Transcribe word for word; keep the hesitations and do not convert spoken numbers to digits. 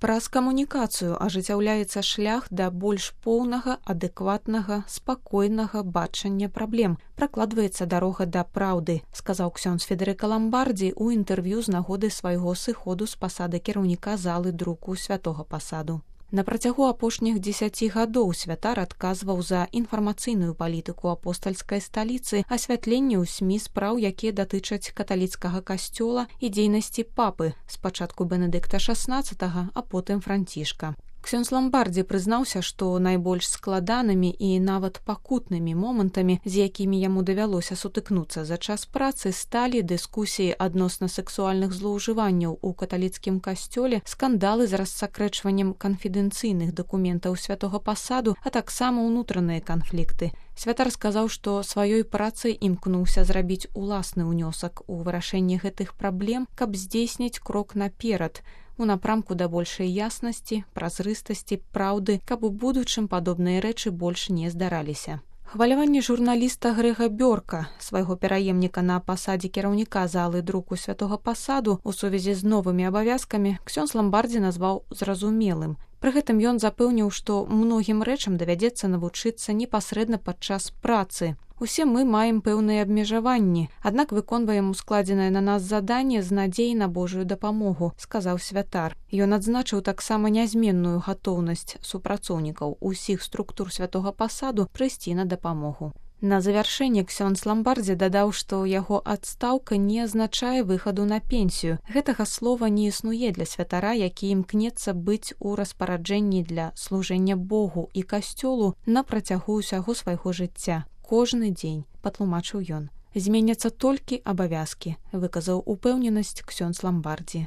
Праз камунікацыю ажыццяўляецца шлях да больш поўнага, адэкватнага, спакойнага бачання праблем. Пракладваецца дарога да праўды, сказаў ксёндз Федэрыка Ламбардзі ў інтэрв'ю з нагоды свайго сыходу з пасады кіраўніка залы друку святога пасаду. На працягу апошніх дзесяці гадоў святар адказваў за інфармацыйную палітыку апостальскай сталіцы, асвятленне ў СМІ спраў, якія датычаць каталіцкага касцёла і дзейнасці папы, спачатку Бенедыкта шаснаццатага, а потым Францішка. Ксёндз Ламбардзі прызнаўся, што найбольш складанымі і нават пакутнымі момантамі, з якімі яму давялося сутыкнуцца за час працы, сталі дыскусіі адносна сексуальных злоўжыванняў у каталіцкім касцёле, скандалы з рассакрэчваннем канфідэнцыйных дакументаў святога пасаду, а таксама ўнутраныя канфлікты. Святар сказаў, што сваёй працай імкнуўся зрабіць уласны ўнёсак у вырашэнне гэтых праблем, каб здзейсніць крок наперад, у напрамку да большай яснасці, празрыстасці, праўды, каб у будучым падобныя рэчы больш не здараліся. Хваляванне журналіста Грэга Бёрка, свайго пераемніка на пасадзе кіраўніка залы друку святога пасаду, у сувязі з новымі абавязкамі, ксёндз Ламбардзі назваў зразумелым. Пры гэтым ён запэўніў, што многім рэчам давядзецца навучыцца непасрэдна падчас працы. Усе мы маем пэўныя абмежаванні, аднак выконваем ускладзенае на нас заданне з надзеяй на Божую дапамогу, сказаў святар. Ён адзначыў таксама нязменную гатоўнасць супрацоўнікаў усіх структур святога пасаду прыйсці на дапамогу. На завяршэнне ксёндз Ламбардзі дадаў, што яго адстаўка не азначае выхаду на пенсію. Гэтага слова не існуе для святара, які імкнецца быць у распараджэнні для служэння Богу і касцёлу на працягу ўсяго свайго жыцця. Кожны дзень, патлумачыў ён. Зменяцца толькі абавязкі, выказаў упэўненасць ксёндз Ламбардзі.